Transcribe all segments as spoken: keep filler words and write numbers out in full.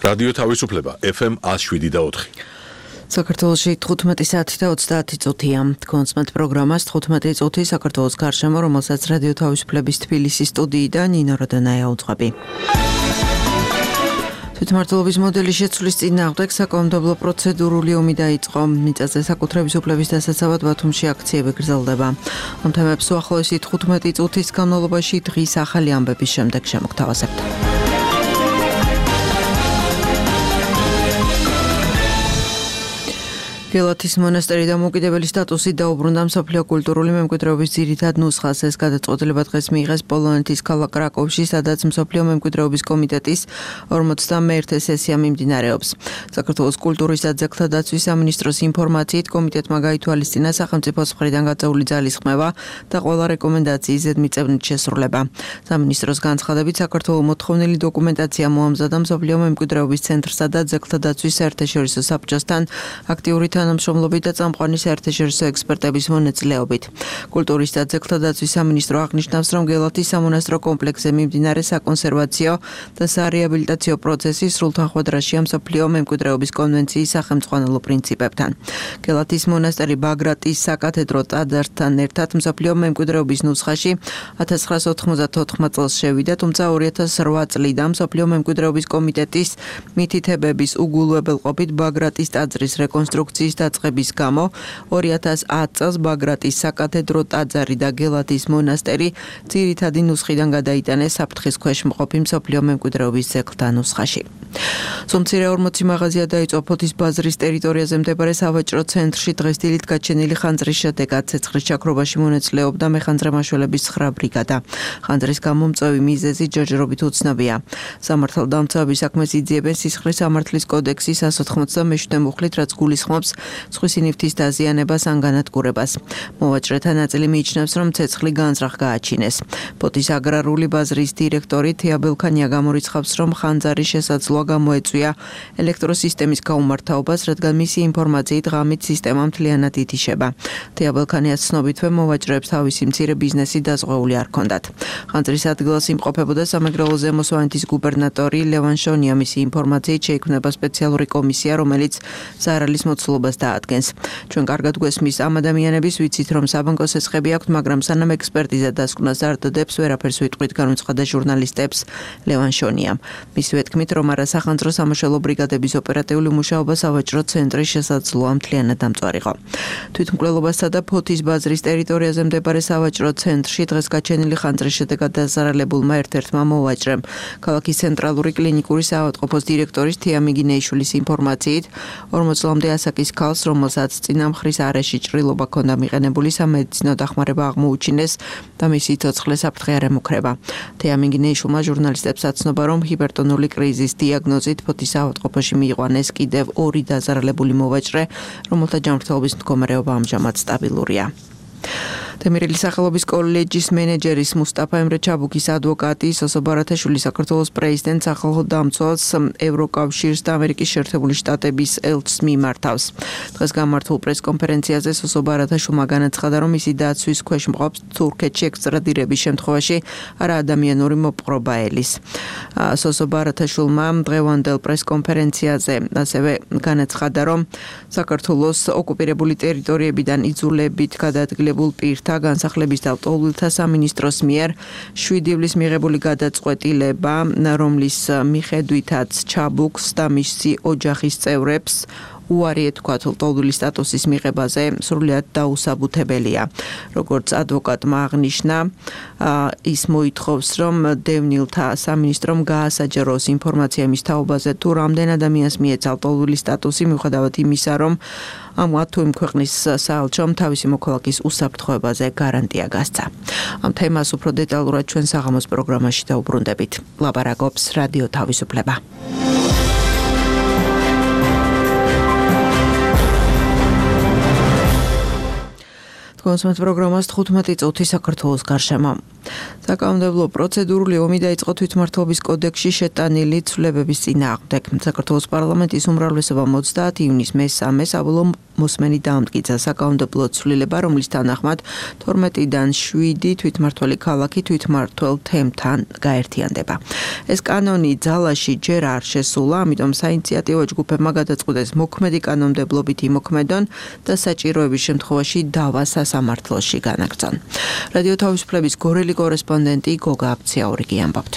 რადიო თავისუფლება ეფ ემ one oh seven და four. საქართველოში თხუთმეტი საათი და ოცდაათი წუთია. კონსმეთ პროგრამას თხუთმეტი წუთი საქართველოს გარშემო, რომელსაც რადიო თავისუფლების თბილისის სტუდიიდან ნინო როდანაია უძღვები. თვითმმართველობის მოდელის შეცვლის წინააღმდეგ საკანონმდებლო პროცედურული ომი დაიწყო. მიწაზე საკუთრების უფლების დასაცავად ბათუმში აქციები გრძელდება. ამ თემებს უახლოესი თხუთმეტი წუთის განმავლობაში დღის ახალი ამბების შემდეგ შემოგთავაზებთ. გელათის მონასტერი დამოუკიდებელი სტატუსით დაუბრუნდა მსოფლიო კულტურული მემკვიდრეობის ძირითად ნუსხას. ეს გადაწყვეტილება დღეს მიიღეს პოლონეთის ქალაქ კრაკოვში, სადაც მსოფლიო მემკვიდრეობის კომიტეტის ორმოცდამეერთე სესია მიმდინარეობს. საქართველოს კულტურის და ძეგლთა დაცვის სამინისტროს ინფორმაციით, კომიტეტმა გაითვალისწინა სახელმწიფოს მხრიდან გაწეული ძალის ხმევა და ყველა რეკომენდაციის ზედმიწევნით შესრულება. სამინისტროს განცხადებით, საქართველოს მოთხოვნილი დოკუმენტაცია მოამზადა მსოფლიო მემკვიდრეობის ცენტრსა და ძეგლთა დაცვის საერთაშორისო საბჭოსთან აქტიური თანამშრომლობით და წამყვანი საერთაშორისო ექსპერტების მონაწილეობით. კულტურის და ძეგლთა დაცვის სამინისტრო აღნიშნავს, რომ გელათის სამონასტრო კომპლექსზე მიმდინარე საკონსერვაციო და სარეაბილიტაციო პროცესი სრულთახვედრაშია მსოფლიო მემკვიდრეობის კონვენციის სახელმძღვანელო პრინციპებთან. გელათის მონასტერი ბაგრატის საკათედრო ტაძართან ერთად მსოფლიო მემკვიდრეობის ნუსხაში ათას ცხრაასა ოთხმოცდათოთხ წელს შევიდა, თუმცა ორი ათას რვა წლიდან მსოფლიო მემკვიდრეობის კომიტეტის მითითებების უგულებელყოფით ბაგრატის ტაძრის რეკონსტრუქციის დაწყების გამო ორი ათას ათ წელს ბაგრატის საკათედრო ტაძარი და გელათის მონასტერი ძირითადი ნუსხიდან გადაიტანეს საფრთხის ქვეშ მყოფი მსოფლიო მემკვიდრეობის ძეგლთა ნუსხაში. სომცირე ორმოცი მაღაზია დაიწყო ფოთის ბაზრის ტერიტორიაზე მდებარე სავაჭრო ცენტრში დღეს დილით გაჩენილი ხანძრის შედეგად. ცეცხლის ჩაქრობაში მონაწილეობდა მეხანძრე მაშველების ცხრა ბრიგადა. ხანძრის გამომწვევი მიზეზი ჯერჯერობით უცნობია. სამართალდამცავების საქმეს იძიებენ სისხლის სამართლის კოდექსის one ოცდამეშვიდე მუხლით, რაც გულისხმობს სხვისი ნივთის დაზიანებას ან განადგურებას. მოვაჭრეთა ნაწილი მიიჩნევს, რომ ცეცხლი განზრახ გააჩინეს. ფოთის აგრარული ბაზრის დირექტორი თეა ბელქანია გამორიცხავს, რომ ხანძარი შესაძლოა გამოეწვია ელექტროსისტემის გაუმართავობას, რადგან მისი ინფორმაციით ღამით სისტემა მთლიანად ითიშება. თეა ბელქანიას ცნობითვე მოვაჭრეებს თავისი მცირე ბიზნესი დაზღვეული არ ჰქონდათ. ხანძრის ადგილას იმყოფებოდა სამეგრელო ზემო სვანეთის გუბერნატორი ლევან შონია. მისი ინფორმაციით შეიქმნება სპეციალური კომისია, რომელიც ზარალის მოცულობას დაადგენს. ჩვენ კარგად გვესმის ამ ადამიანების, ვიცით, რომ საბანკო სესხები აქვთ, მაგრამ სანამ ექსპერტიზა დასკვნას არ დადებს, ვერაფერს ვიტყვით, განუცხადა ჟურნალისტებს ლევან შონიამ. მისივე თქმით, რომ არა სახანძრო სამაშველო ბრიგადების ოპერატიული მუშაობა სავაჭრო ცენტრის შესაძლოა მთლიანად დამწვარიყო. თვითმკვლელობასა და ფოთის ბაზრის ტერიტორიაზე მდებარე სავაჭრო ცენტრში დღეს გაჩენილი ხანძრის შედეგად დაზარალებულმა ერთ-ერთმა მოვაჭრემ ქალაქის ცენტრალური კლინიკური საავადმყოფოს დირექტორის თეა მიგინეიშვილის ინფორმაციით ორმოც წლამდე ასაკის ქალს, რომელსაც წინამხრის არეში ჭრილობა ჰქონდა მიყენებული, სამედიცინო დახმარება აღმოუჩინეს და მისი ცოცხლე საფრთხე არ ემუქრება. თეა მიგინეიშვილმა ჟურნალისტებს აცნობა, რომ ჰიპერტონული კრიზის დიაგნოზით ფოთის საავადმყოფოში მიიყვანეს კიდევ ორი დაზარალებული მოვაჭრე, რომელთა ჯანმრთელობის მდგომარეობა ამჟამად სტაბილურია. თემირელის სახელობის კოლეჯის მენეჯერის მუსტაფა ემრე ჩაბუქის ადვოკატი სოსო ბარათაშვილი საქართველოს პრეზიდენტს ახალ დამცველს ევროკავშირს და ამერიკის შეერთებული შტატების ელჩს მიმართავს. დღეს გამართულ პრესკონფერენციაზე სოსო ბარათაშვილმა განაცხადა, რომ მისი დაცვის ქვეშ მყოფს თურქეთში ექსტრადირების შემთხვევაში არა ადამიანური მოპყრობა ელის. სოსო ბარათაშვილმა დღევანდელ პრესკონფერენციაზე ასევე განაცხადა, რომ საქართველოს ოკუპირებული ტერიტორიებიდან იძულებით გადაადგილებულ პირთა განსახლების და ლტოლვილთა სამინისტროს მიერ შვიდი ივლის მიღებული გადაწყვეტილება, რომლის მიხედვითაც ჩაბუქს და მისი ოჯახის წევრებს უარი ეთქვათ ლტოლვილი სტატუსის მიღებაზე, სრულიად დაუსაბუთებელია. როგორც ადვოკატმა აღნიშნა, ის მოითხოვს, რომ დევნილთა სამინისტრომ გაასაჯაროს ინფორმაცია მის თაობაზე, თუ რამდენ ადამიანს მიეცა ლტოლვილი სტატუსი, მიუხედავად იმისა, რომ ამათ თუ იმ ქვეყნის საელჩომ თავისი მოქალაქის უსაფრთხოებაზე გარანტია გასცა. ამ თემას უფრო დეტალურად ჩვენ საღამოს პროგრამაში დაუბრუნდებით. ლაპარაკობს რადიო თავისუფლება. კონსუმენტ პროგრამას თხუთმეტი წუთი საქართველოს გარშემო. საკანონმდებლო პროცედურული ომი დაიწყო თვითმმართველობის კოდექსში შეტანილი ცვლილებების წინააღმდეგ. საქართველოს პარლამენტის უმრავლესობამ ოცდაათი ივნის მესამე საბოლოო მოსმენი დაამტკიცა საკანონმდებლო ცვლილება, რომლის თანახმად თორმეტიდან შვიდი თვითმმართველი ქალაქი თვითმმართველ თემთან გაერთიანდება. ეს კანონი ძალაში ჯერ არ შესულა, ამიტომ საინიციატივო ჯგუფებმა გადაწყვიტეს მოქმედი კანონმდებლობით იმოქმედონ და საჭიროების შემთხვევაში დავა სასამართლოში განაგრძონ. რადიო თავისუფლების გორელი კორესპონდენტი გოგა აფციაურიგი ამბობთ.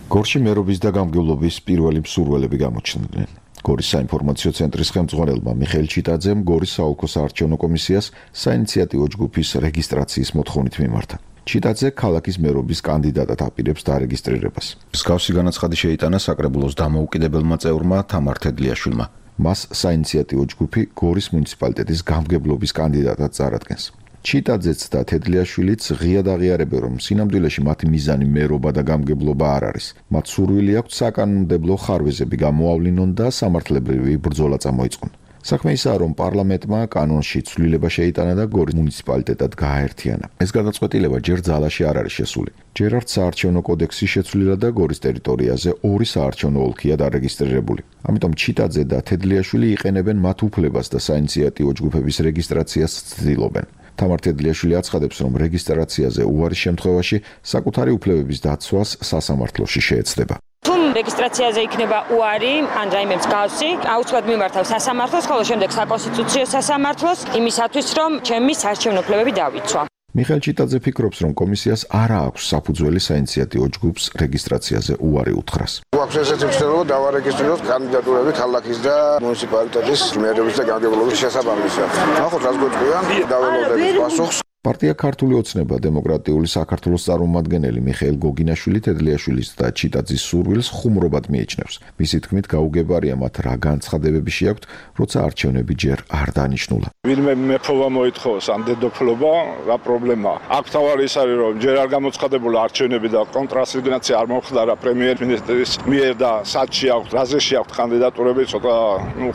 გორში მერობის და გამგებლობის პირველი მსურველები გამოჩნდნენ. გორის საინფორმაციო ცენტრის ხელმძღვანელმა მიხეილ ჩიტაძემ გორის საოლქო საარჩევნო კომისიას საინიციატივო ჯგუფის რეგისტრაციის მოთხოვნით მიმართა. ჩიტაძე ქალაქის მერობის კანდიდატად აპირებს დარეგისტრირებას. მსგავსი განაცხადი შეიტანა საკრებულოს დამოუკიდებელმა წევრმა თამარ თედლიაშვილმა. მას საინიციატივო ჯგუფი გორის მუნიციპალიტეტის გამგებლობის კანდიდატად წარადგენს. ჩიტაძეც და თედლიაშვილიც ღიად აღიარებენ, რომ სინამდვილეში მათი მიზანი მერობა და გამგებლობა არ არის. მათ სურვილი აქვთ საკანონმდებლო ხარვეზები გამოავლინონ და სამართლებრივი ბრძოლა წამოიწყონ. საქმე ისაა, რომ პარლამენტმა კანონში ცვლილება შეიტანა და გორის მუნიციპალიტეტად გააერთიანა. ეს გადაწყვეტილება ჯერ ძალაში არ არის შესული. ჯერ არც საარჩევნო კოდექსი შეცვლილა და გორის ტერიტორიაზე ორი საარჩევნო ოლქია დარეგისტრირებული. ამიტომ ჩიტაძე და თედლიაშვილი იყენებენ მათ უფლებას და საინიციატივო ჯგუფების რეგისტრაციას ცდილობენ. თამარ თედლიაშვილი აცხადებს, რომ რეგისტრაციაზე უარის შემთხვევაში საკუთარი უფლებების დაცვას სასამართლოში შეეცდება. თუ რეგისტრაციაზე იქნება უარი, ან რაიმე მსგავსი, აუცილებლად მიმართავ სასამართლოს, ხოლო შემდეგ საკონსტიტუციო სასამართლოს, იმისათვის, რომ ჩემი საარჩევნო უფლებები დავიცვა. მიხეილ ჩიტაძე ფიქრობს, რომ კომისიას არ აქვს საფუძველი საინიციატივო ჯგუფს რეგისტრაციაზე უარი უთხრას. გვაქვს ესეთი მცდელობა დავარეგისტრიროთ კანდიდატურები ქალაქის და მუნიციპალიტეტის მერების და გამგებლობის შესაბამისად. ნახოთ, რას გვეწყვიან, დაველოდებით პასუხს. პარტია ქართული ოცნება დემოკრატიული საქართველოს წარმომადგენელი მიხეილ გოგინაშვილი თედლიაშვილის და ჩიტაძის სურვილს ხუმრობად მიიჩნევს. მისი თქმით, გაუგებარია მათ რა განცხადებები შეაქვთ, როცა არჩევნები ჯერ არ დანიშნულა. ვინმე მეფობა მოითხოვოს ამ დედოფლობა, რა პრობლემაა? აქ თავარი ის არის, რომ ჯერ არ გამოცხადებულა არჩევნები და კონტრასიგნაცია არ მომხდარა პრემიერ-მინისტრის მიერ და სათში აქვთ, რაზეში აქვთ კანდიდატურები, ცოტა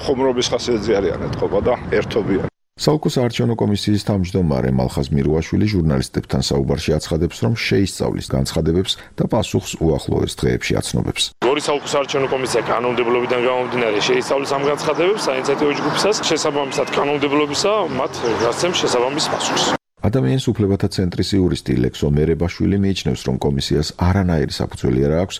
ხუმრობის ხასიათზე არიან ეთქობა და ერთობიან. საოლქო საარჩევნო კომისიის თავმჯდომარე მალხაზ მირუაშვილი ჟურნალისტებთან საუბარში აცხადებს, რომ შეისწავლის განცხადებებს და პასუხს უახლოეს დღეებში აცნობებს. გორის საოლქო საარჩევნო კომისია კანონმდებლობიდან გამომდინარე შეისწავლის ამ განცხადებებს საინიციატივო ჯგუფისას, შესაბამისად კანონმდებლობისა მათ გასცემს შესაბამის პასუხს. ადამიანის უფლებათა ცენტრის იურისტი ლექსო მერებაშვილი მიიჩნევს, რომ კომისიას არანაირი საფუძველი არ აქვს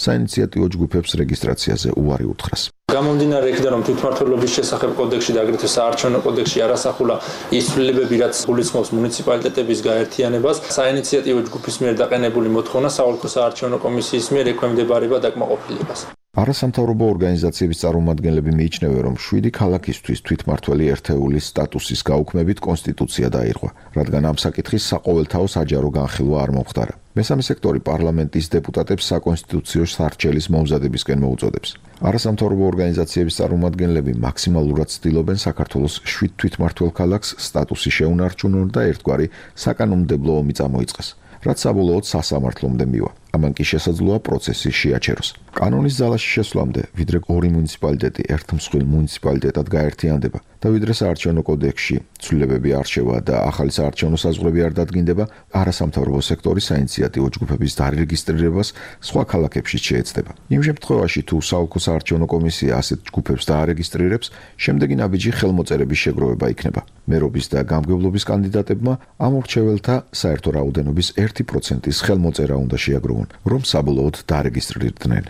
საინიციატივო ჯგუფებს რეგისტრაციაზე უარი უთხრას. გამომდინარე იქიდან, რომ თვითმმართველობის შესახებ კოდექსში და აგრეთვე საარჩევნო კოდექსში არ ასახულა ის ცვლილებები, რაც გულისხმობს მუნიციპალიტეტების გაერთიანებას, საინიციატივო ჯგუფის მიერ დაყენებული მოთხოვნა საოლქო საარჩევნო კომისიის მიერ ექვემდებარება დაკმაყოფილებას. არასამთავრობო ორგანიზაციების წარმომადგენლები მიიჩნევენ, რომ შვიდი ქალაქისთვის თვითმმართველი ერთეულის სტატუსის გაუქმებით კონსტიტუცია დაირღვა, რადგან ამ საკითხის საყოველთაო საჯარო განხილვა არ მომხდარა. მესამე სექტორი პარლამენტის დეპუტატებს საკონსტიტუციო სარჩელის მომზადებისკენ მოუწოდებს. არასამთავრობო ორგანიზაციების წარმომადგენლები მაქსიმალურად ცდილობენ საქართველოს შვიდ თვითმმართველ ქალაქს სტატუსი შეუნარჩუნონ და ერთგვარი საკანონმდებლო ომი წამოიწყეს, რაც საბოლოოდ სასამართლომდე მივა. ამან კი შესაძლოა პროცესი შეაჩეროს. კანონის ძალაში შესვლამდე, ვიდრე ორი მუნიციპალიტეტი ერთ მსხვილ მუნიციპალიტეტად გაერთიანდება და ვიდრე საარჩევნო კოდექსში ცვლილებები არჩევა და ახალი საარჩევნო საზღვრები არ დადგინდება, არასამთავრობო სექტორის საინიციატივო ჯგუფების დარეგისტრირებას სხვა ქალაქებში შეეცდება. იმ შემთხვევაში, თუ საოლქო საარჩევნო კომისია ასეთ ჯგუფებს დაარეგისტრირებს, შემდეგი ნაბიჯი ხელმოწერების შეგროვება იქნება. მერობის და გამგებლობის კანდიდატებმა ამ მრჩეველთა საერთო რაოდენობის ერთი პროცენტის ხელმოწერა უნდა შეაგროვონ, რომ საბოლოოდ დარეგისტრირდნენ.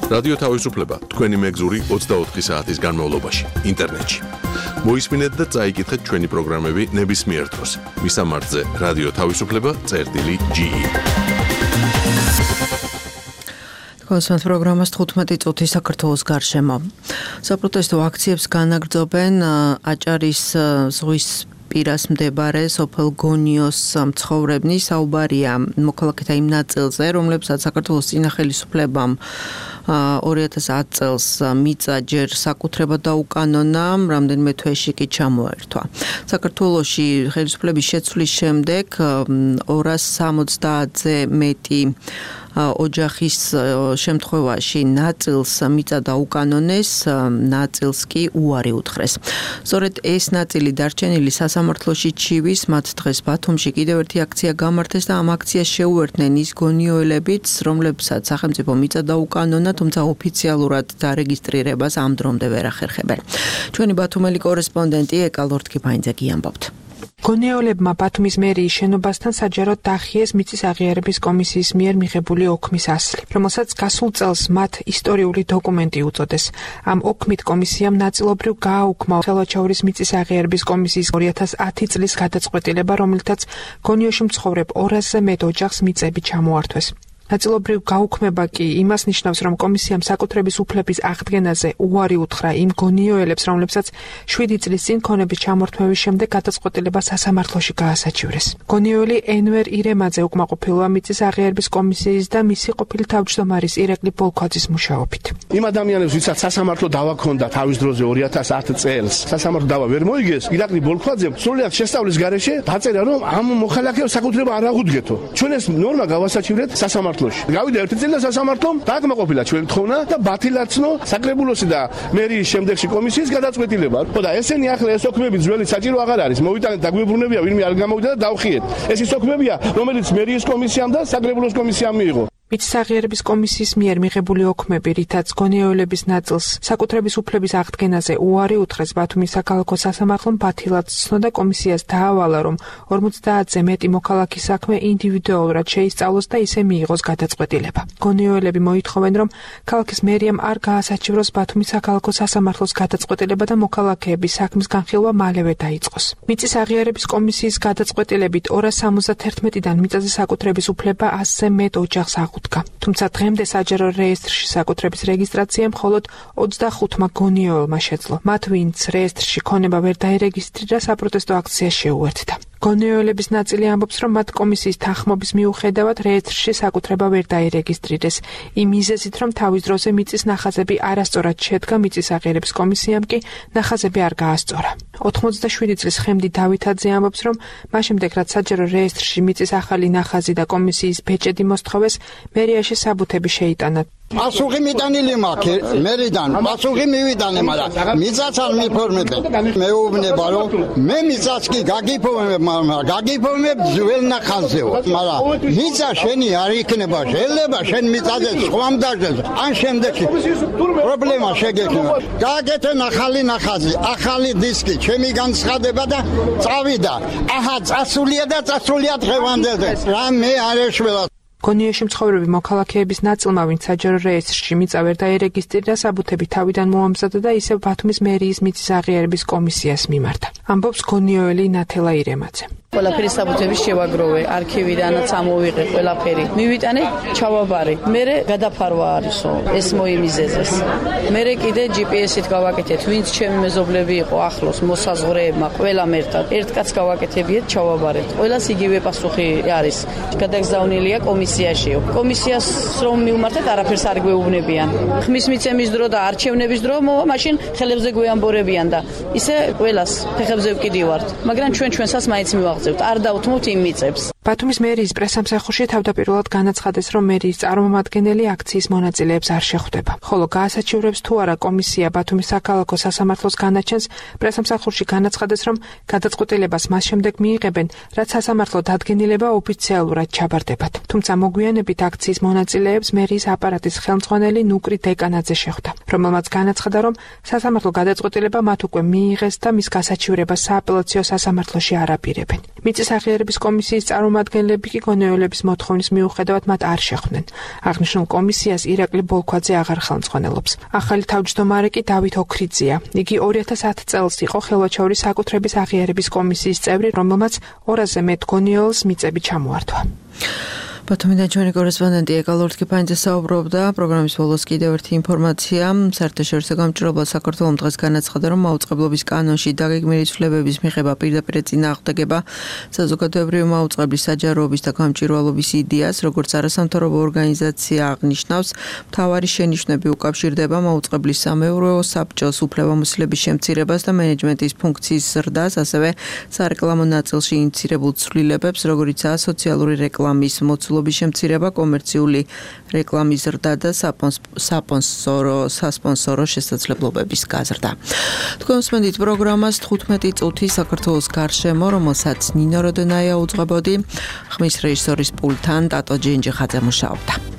რადიო თავისუფლება თქვენი მეგზური ოცდაოთხი საათის განმავლობაში ინტერნეტში. მოისმინეთ და წაიკითხეთ ჩვენი პროგრამები ნებისმიერ დროს. მისამართზე რადიო თავისუფლება წერტილი ჯი ი. კონსუმენტ პროგრამას თხუთმეტი წუთი საქართველოს გარშემო. საპროტესტო აქციებს განაგრძობენ აჭარის ზღვის პირას მდებარე სოფელ გონიოს მცხოვრებნი. საუბარია მოქალაქეთა იმ ნაწილზე, რომლებსაც საქართველოს წინა ხელისუფლებამ ორი ათას ათი წელს მიწა ჯერ საკუთრებად დაუკანონა, რამდენიმე თვეში კი ჩამოერთვა. საქართველოში ხელისუფლების შეცვლის შემდეგ ორას სამოცდაათზე მეტი ოჯახის შემთხვევაში ნაწილს მიწა დაუკანონეს, ნაწილს კი უარი უთხრეს. სწორედ ეს ნაწილი დარჩენილი სასამართლოში ჩივის, მათ დღეს ბათუმში კიდევ ერთი აქცია გამართეს და ამ აქციას შეუერთდნენ ის გონიოელებიც, რომლებსაც სახელმწიფო მიწა დაუკანონა, თუმცა ოფიციალურად დარეგისტრირებას ამ დრომდე ვერ ახერხებენ. ჩვენი ბათუმელი კორესპონდენტი ეკა ლორთქიფაინძე გიამბობთ. გონიოელებმა ბათუმის მერიის შენობასთან საჯაროდ დაახიეს მიწის აღიარების კომისიის მიერ მიღებული ოქმის ასლი, რომელსაც გასულ წელს მათ ისტორიული დოკუმენტი უწოდეს. ამ ოქმით კომისიამ ნაწილობრივ გააუქმა ხელვაჩაურის მიწის აღიარების კომისიის ორი ათას ათი წლის გადაწყვეტილება, რომელთაც გონიოში მცხოვრებ ორასზე მეტ ოჯახს მიწები ჩამოართვეს. ნაწილობრივ გაუქმება კი იმას ნიშნავს, რომ კომისიამ საკუთრების უფლების აღდგენაზე უარი უთხრა იმ გონიოელებს, რომლებსაც შვიდი წლის წინ ქონების ჩამორთმევის შემდეგ გადაწყვეტილება სასამართლოში გაასაჩივრეს. გონიოელი ენვერ ირემაძე უკმაყოფილოა მიწის აღიარების კომისიის და მისი ყოფილი თავმჯდომარის ირაკლი ბოლქვაძის მუშაობით. იმ ადამიანებს, ვისაც სასამართლო დავა ჰქონდა თავის დროზე ორი ათას ათი წელს, სასამართლო დავა ვერ მოიგეს, ირაკლი ბოლქვაძემ სრულად შესწავლის გარეშე დაწერა, რომ ამ მოხალხეებს საკუთრება არ აღუდგეთო. ჩვენ ეს ნორმა გავასაჩივრეთ სასამართლოში. გავიდა ერთი წელი და სასამართლომ დააკმაყოფილა ჩვენი თხოვნა და ბათილაცნო საკრებულოსი და მერიის შემდეგში კომისიის გადაწყვეტილება. ხო და ესენი ახლა ეს ოქმები ძველი საჭირო აღარ არის. მოვიტანეთ დაგვიბრუნებია, ვინმე არ გამოვიდა და დავხიეთ. ეს ის ოქმებია, რომელიც მერიის კომისიამ და საკრებულოს კომისიამ მიიღო. მიწის აღიარების კომისიის მიერ მიღებული ოქმები, რითაც გონიოელების ნაწილს საკუთრების უფლების აღდგენაზე უარი უთხრეს ბათუმის საქალაქო სასამართლომ ბათილად ცნო და კომისიას დაავალა, რომ ორმოცდაათზე მეტი მოქალაქის საქმე ინდივიდუალურად შეისწავლოს და ისე მიიღოს გადაწყვეტილება. გონიოელები მოითხოვენ, რომ ქალაქის მერიამ არ გაასაჩივროს ბათუმის საქალაქო სასამართლოს გადაწყვეტილება და მოქალაქეების საქმის განხილვა მალევე დაიწყოს. მიწის აღიარების კომისიის გადაწყვეტილებით ორას სამოცდათერთმეტიდან მიწაზე საკუთრების უფლება ასზე მეტ ოჯახს თუმცა დღემდე საჯარო რეესტრში საკუთრების რეგისტრაცია მხოლოდ ოცდახუთმა გონიოელმა შეძლო. მათ ვინც რეესტრში ქონება ვერ დაერეგისტრირა, საპროტესტო აქცია შეუერთდა. გონიოელების ნაწილი ამბობს, რომ მათ კომისიის თანხმობის მიუხედავად რეესტრში საკუთრება ვერ დაერეგისტრირეს. იმ მიზეზით, რომ თავის დროზე მიწის ნახაზები არასწორად შედგა, მიწის აღიარების კომისიამ კი ნახაზები არ გაასწორა. ოთხმოცდაშვიდი წლის ხემდი დავითაძე ამბობს, რომ მას შემდეგ, რაც საჯარო რეესტრში მიწის ახალი ნახაზი და კომისიის ბეჭედი მოსთხოვეს, მერიაში საბუთები შეიტანა. პასუხი მიტანილი მაქვს მერიდან, პასუხი მივიტანე, მაგრამ მიწაც არ მიფორმებენ. მეუბნება, რომ მე მიწაც კი გაგიფორმებ, მაგრამ გაგიფორმებ ძველ ნახაზეო, მაგრამ მიწა შენი არ იქნება, შეიძლება შენ მიწაზე სხვამ დაჟდეს, ან შემდეგში პრობლემა შეგექნება. გააკეთე ახალი ნახაზი, ახალი დისკი, ჩემი განცხადება და წავიდა. აჰა, წასულია და წასულია დღევანდელზე. რა მე არ ეშველა. გონიოში მცხოვრები მოქალაქეების ნაწილმა, ვინც საჯარო რეესტრში მიწა ვერ დაერეგისტრირა, საბუთები თავიდან მოამზადა და ისევ ბათუმის მერიის მიწის აღიარების კომისიას მიმართა. ამბობს გონიოელი ნათელა ირემაძე. ყველაფერი საბუთები შევაგროვე, არქივიდანაც ამოვიღე ყველაფერი. მივიტანე ჩავაბარე. მერე გადაფარვა არისო, ეს მოიმიზეზეს. მერე კიდე ჯი პი ეს-ით გავაკეთეთ, ვინც ჩემი მეზობლები იყო ახლოს, მოსაზღვრეებმა, ყველამ ერთად. ერთ კაცს გავაკეთებიეთ, ჩავაბარეთ. ყველას იგივე პასუხი არის. გადაგზავნილია კომისიაშიო. კომისიას რომ მივმართეთ, არაფერს არ გვეუბნებიან. ხმის მიცემის დრო და არჩევნების დრო მოვა, მაშინ ხელებზე გვეამბორებიან და ისე ყველას ფეხებზე ვკიდივართ. მაგრამ ჩვენ ჩვენსაც მაინც მივაღწევთ. არ დავთმოთ იმ მიწებს. ბათუმის მერიის პრესამსახურში თავდაპირველად განაცხადეს, რომ მერიის წარმომადგენელი აქციის მონაწილეებს არ შეხვდება. ხოლო გაასაჩივრებს თუ არა კომისია ბათუმის საქალაქო სასამართლოს განაჩენს, პრესამსახურში განაცხადეს, რომ გადაწყვეტილებას მას შემდეგ მიიღებენ, რაც სასამართლო დადგენილება ოფიციალურად ჩაბარდებათ. თუმცა მოგვიანებით აქციის მონაწილეებს მერიის აპარატის ხელმძღვანელი ნუკრი დეკანაძე შეხვდა, რომელმაც განაცხადა, რომ სასამართლო გადაწყვეტილება მათ უკვე მიიღეს და მის გასაჩივრებას სააპელაციო სასამართლოში არ აპირებენ. მიწის აღიარების კომისიის წარმომადგენლები კი გონიოელების მოთხოვნის მიუხედავად მათ არ შეხვდნენ. აღნიშნულ კომისიას ირაკლი ბოლქვაძე აღარ ხელმძღვანელობს. ახალი თავმჯდომარე კი დავით ოქრიძეა. იგი ორი ათას ათი წელს იყო ხელვაჩაურის საკუთრების აღიარების კომისიის წევრი, რომელმაც ორასზე მეტ გონიოელს მიწები ჩამოართვა. ბათუმიდან ჩვენი კორესპონდენტი ეკა ლორთქიფაინძე საუბრობდა. პროგრამის ბოლოს კიდევ ერთი ინფორმაცია. საერთაშორისო გამჭირვებლად საქართველომ დღეს განაცხადა, რომ მაუწყებლობის კანონში დაგეგმილი ცვლილებების მიღება პირდაპირ წინააღმდეგება საზოგადოებრივი მაუწყებლის საჯაროობის და გამჭირვალობის იდეას, როგორც არასამთავრობო ორგანიზაცია აღნიშნავს, მთავარი შენიშვნები უკავშირდება მაუწყებლის სამეურვეო საბჭოს უფლებამოსილების შემცირებას და მენეჯმენტის ფუნქციის ზრდას, ასევე სარეკლამო ნაწილში ინიცირებულ ცვლილებებს, როგორიცაა სოციალური რეკლამის მოცულობა განმავლობის შემცირება, კომერციული რეკლამის ზრდა და საპონსორო სასპონსორო შესაძლებლობების გაზრდა. თქვენ უსმენთ პროგრამას თხუთმეტი წუთი საქართველოს გარშემო, რომელსაც ნინო როდენაია უძღვებოდი, ხმის რეჟისორის პულტთან ტატო ჯენჯიხაძე მუშაობდა.